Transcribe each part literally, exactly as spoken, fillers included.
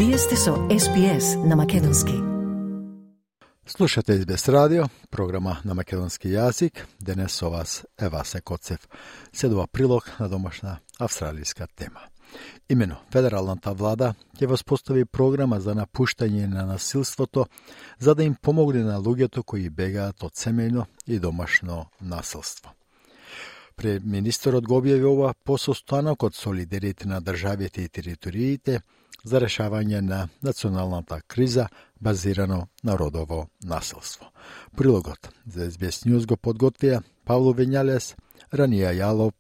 Вие сте со Ес Би Ес на македонски. Слушате Ес Би Ес радио, програма на македонски јазик. Денес со вас е Васе Коцев. Седува прилог на домашна австралијска тема. Имено, федералната влада ќе воспостави програма за напуштање на насилството, за да им помогне на луѓето кои бегаат од семејно и домашно насилство. Преминистерот го објави ова по состанокот со лидерите на државите и териториите за решавање на националната криза базирано на родово насилство. Прилогот за Ес Би Ес News го подготвија Павло Вењалес, Ранија Јалоп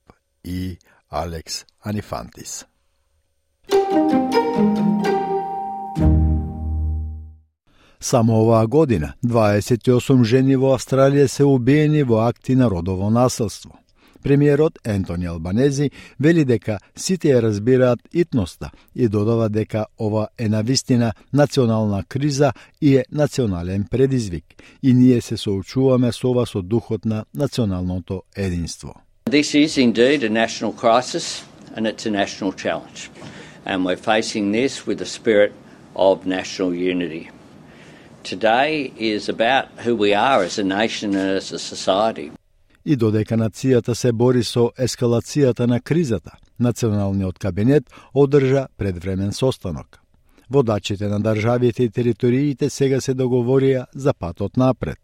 и Алекс Анифантис. Само оваа година дваесет и осум жени во Австралија се убиени во акти на родово насилство. Премиерот Ентони Албанези вели дека сите ја разбираат итноста и додава дека ова е навистина национална криза и е национален предизвик и ние се соочуваме со ова со духот на националното единство. This is indeed a national crisis and it's a national challenge. And we're facing this with a spirit of national unity. Today is about who we are as a nation and as a society. И додека нацијата се бори со ескалацијата на кризата, Националниот кабинет одржа предвремен состанок. Водачите на државите и териториите сега се договорија за патот напред.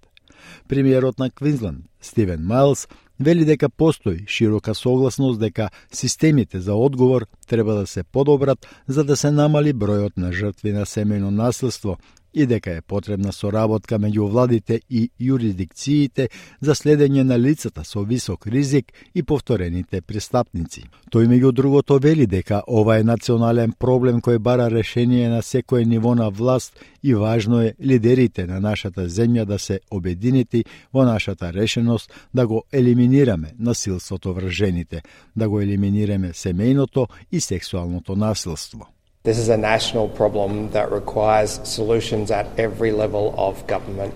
Премиерот на Квинсленд, Стивен Мајлс, вели дека постои широка согласност дека системите за одговор треба да се подобрат за да се намали бројот на жртви на семејно насилство и дека е потребна соработка меѓу владите и юрисдикциите за следење на лицата со висок ризик и повторените престапници. Тој меѓу другото вели дека ова е национален проблем кој бара решение на секое ниво на власт и важно е лидерите на нашата земја да се обединети во нашата решеност да го елиминираме насилството врз жените, да го елиминираме семејното и сексуалното насилство. This is a national problem that requires solutions at every level of government,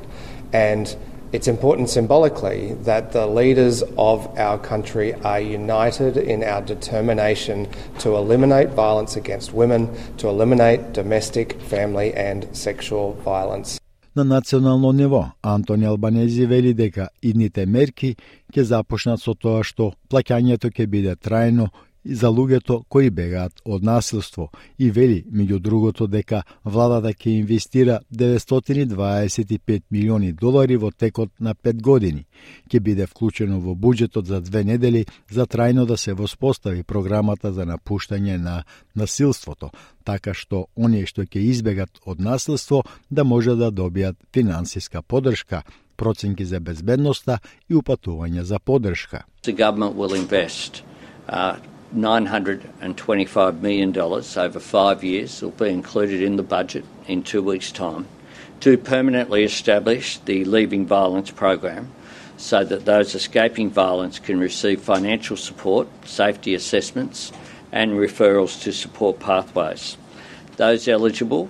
and it's important symbolically that the leaders of our country are united in our determination to eliminate violence against women, to eliminate domestic, family and sexual violence. На национално ниво, Антони Албанези вели дека идните мерки ќе започнат со тоа што плаќањето ќе биде трајно и за луѓето кои бегаат од насилство и вели, меѓу другото, дека владата ќе инвестира деветстотини и дваесет и пет милиони долари во текот на пет години. Ќе биде вклучено во буџетот за две недели за трајно да се воспостави програмата за напуштање на насилството, така што оние што ќе избегат од насилство да може да добијат финансиска поддршка, проценки за безбедноста и упатување за поддршка. The government will invest uh, nine hundred twenty-five million dollars over five years will be included in the budget in two weeks' time to permanently establish the Leaving Violence program so that those escaping violence can receive financial support, safety assessments and referrals to support pathways. Those eligible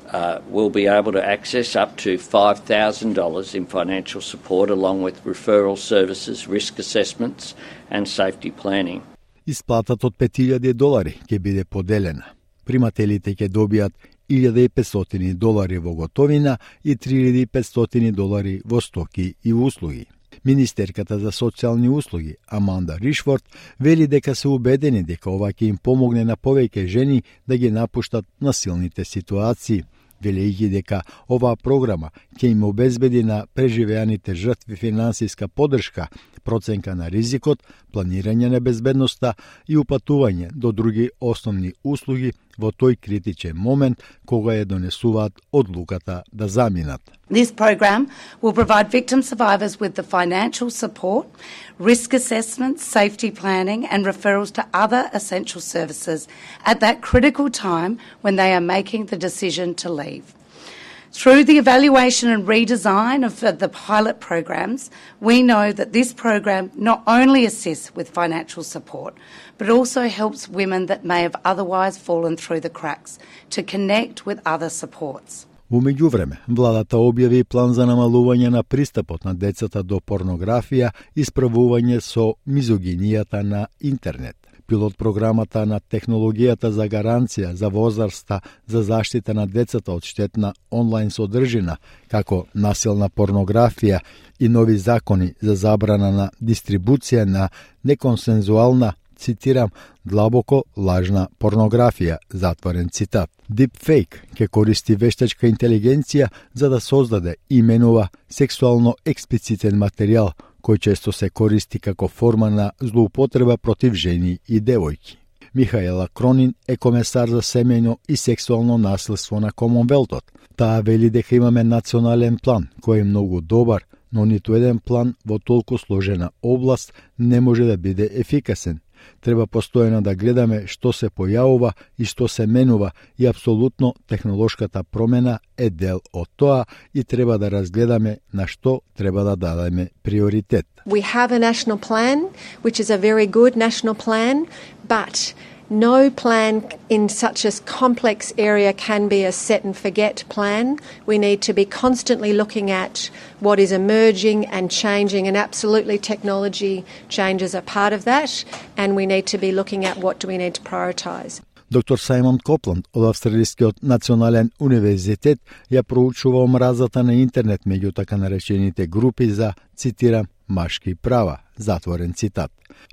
uh, will be able to access up to five thousand dollars in financial support along with referral services, risk assessments and safety planning. Исплатата од пет илјади долари ќе биде поделена. Примателите ќе добијат илјада и петстотини долари во готовина и три илјади и петстотини долари во стоки и услуги. Министерката за социјални услуги Аманда Ришфорд вели дека се убедени дека ова ќе им помогне на повеќе жени да ги напуштат насилните ситуации, велејќи дека оваа програма ќе им обезбеди на преживеаните жртви финансиска поддршка, проценка на ризикот, планирање на безбедноста и упатување до други основни услуги во тој критичен момент кога ја донесуваат одлуката да заминат. This program will provide victim survivors with the financial support, risk assessments, safety planning and referrals to other essential services at that critical time when they are making the decision to leave. Through the evaluation and redesign of the pilot programs, we know that this program not only assists with financial support, but also helps women that may have otherwise fallen through the cracks to connect with other supports. Во меѓувреме, владата објави план за намалување на пристапот на децата до порнографија и справување со мизогинијата на интернет. Пилот програмата на технологијата за гаранција за возраста за заштита на децата од штетна онлайн содржина, како насилна порнографија и нови закони за забрана на дистрибуција на неконсензуална, цитирам, длабоко лажна порнографија, затворен цитат. Deepfake ќе користи вештачка интелигенција за да создаде и именува сексуално експлицитен материјал, кој често се користи како форма на злоупотреба против жени и девојки. Михаела Кронин е комесар за семејно и сексуално насилство на Комонвелтот. Таа вели дека имаме национален план кој е многу добар, но ниту еден план во толку сложена област не може да биде ефикасен. Треба постојано да гледаме што се појавува и што се менува и апсолутно технолошката промена е дел од тоа и треба да разгледаме на што треба да дадеме приоритет. We have a national plan, which is a very good national plan, but no plan in such a complex area can be a set and forget plan. We need to be constantly looking at what is emerging and changing, and absolutely technology changes are part of that, and we need to be looking at what do we need to prioritise. Доктор Сајмон Копланд од Австралискиот национален универзитет ја проучува омразата на интернет меѓу така наречените групи за, цитирам, машки права, затворен цитат.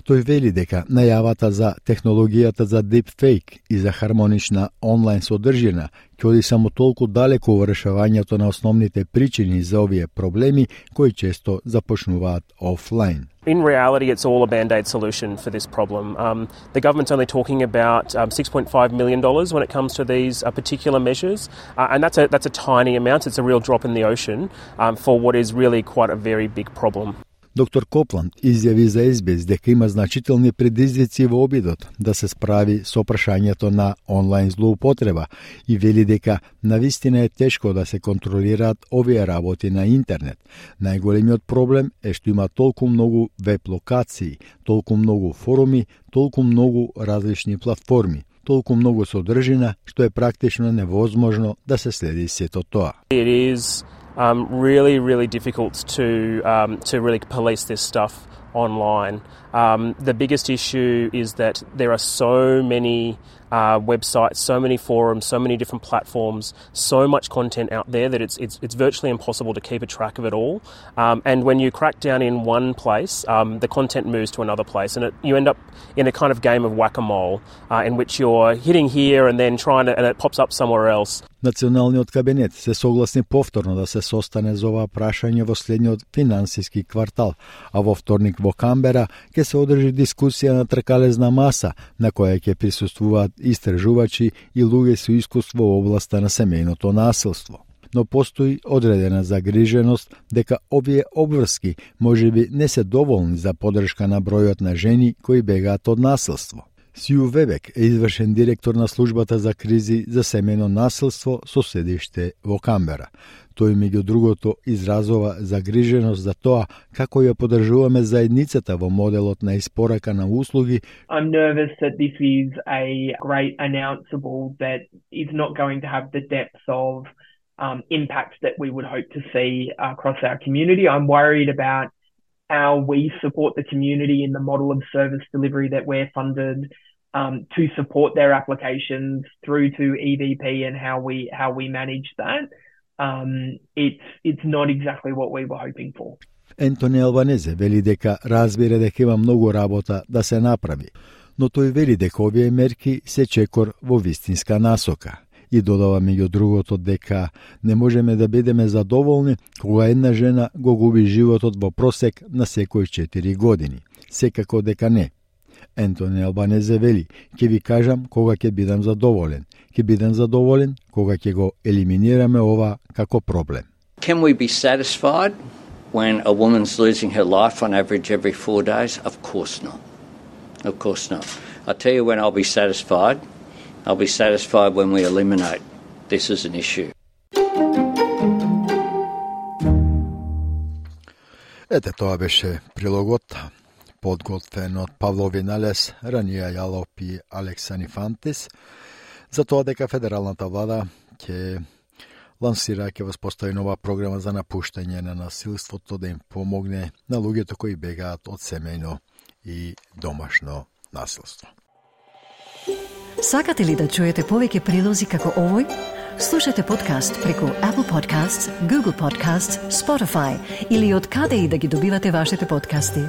Тој вели дека најавата за технологијата за deepfake и за хармонична онлайн содржина ќе оди само толку далеку во решавањето на основните причини за овие проблеми кои често започнуваат офлайн. In reality, it's all a band-aid solution for this problem. Um, the government's only talking about um, six point five million dollars when it comes to these uh, particular measures, uh, and that's a that's a tiny amount. It's a real drop in the ocean um, for what is really quite a very big problem. Доктор Копланд изјави за Ес Би Ес дека има значителни предизвици во обидот да се справи со прашањето на онлайн злоупотреба и вели дека навистина е тешко да се контролираат овие работи на интернет. Најголемиот проблем е што има толку многу веб локации, толку многу форуми, толку многу различни платформи, толку многу содржина што е практично невозможно да се следи сето тоа. It is Um, really, really difficult to um, to really police this stuff online. Um, the biggest issue is that there are so many uh, websites, so many forums, so many different platforms, so much content out there that it's it's it's virtually impossible to keep a track of it all. Um, and when you crack down in one place, um, the content moves to another place, and it, you end up in a kind of game of whack-a-mole uh, in which you're hitting here and then trying to, and it pops up somewhere else. Националниот кабинет се согласни повторно да се состане за ова прашање во следниот финансиски квартал, а во вторник во Камбера ќе се одржи дискусија на тркалезна маса на која ќе присуствуваат истражувачи и луѓе со искуство во областа на семејното насилство. Но постои одредена загриженост дека овие обврски можеби не се доволни за поддршка на бројот на жени кои бегаат од насилство. Сију Вебек е извршен директор на службата за кризи за семејно насилство со седиште во Камбера. Тој меѓу другото изразува загриженост за тоа како ја поддржуваме заедницата во моделот на испорака на услуги. I'm nervous that this is a great announceable that is not going to have the depth of um, impact that we would hope to see across our community. I'm worried about how we support the community in the model of service delivery that we're funded um, to support their applications through to E V P and how we how we manage that. Um, it's it's not exactly what we were hoping for. Ентони Албанезе вели дека разбира дека има многу работа да се направи, но тој вели дека овие мерки се чекор во вистинска насока. И додава меѓу другото дека не можеме да бидеме задоволни кога една жена го губи животот во просек на секои четири години. Секако дека не. Ентони Албанезе вели, ќе ви кажам кога ќе бидам задоволен. Ќе бидам задоволен кога ќе го елиминираме ова како проблем. Can we be satisfied when a woman's losing her life on average every four days? Of course not. Of course not. I'll tell you when I'll be satisfied. I'll be satisfied when we eliminate this as an issue. Ете, тоа беше прилогот, подготвен од Павло Виналес, Ранија Јалоп и Алексани Фантис, за тоа дека федералната влада ќе лансира, ќе воспостави нова програма за напуштање на насилството да им помогне на луѓето кои бегаат од семејно и домашно насилство. Сакате ли да чуете повеќе прилози како овој? Слушате подкаст преку Apple Podcasts, Google Podcasts, Spotify или од каде и да ги добивате вашите подкасти.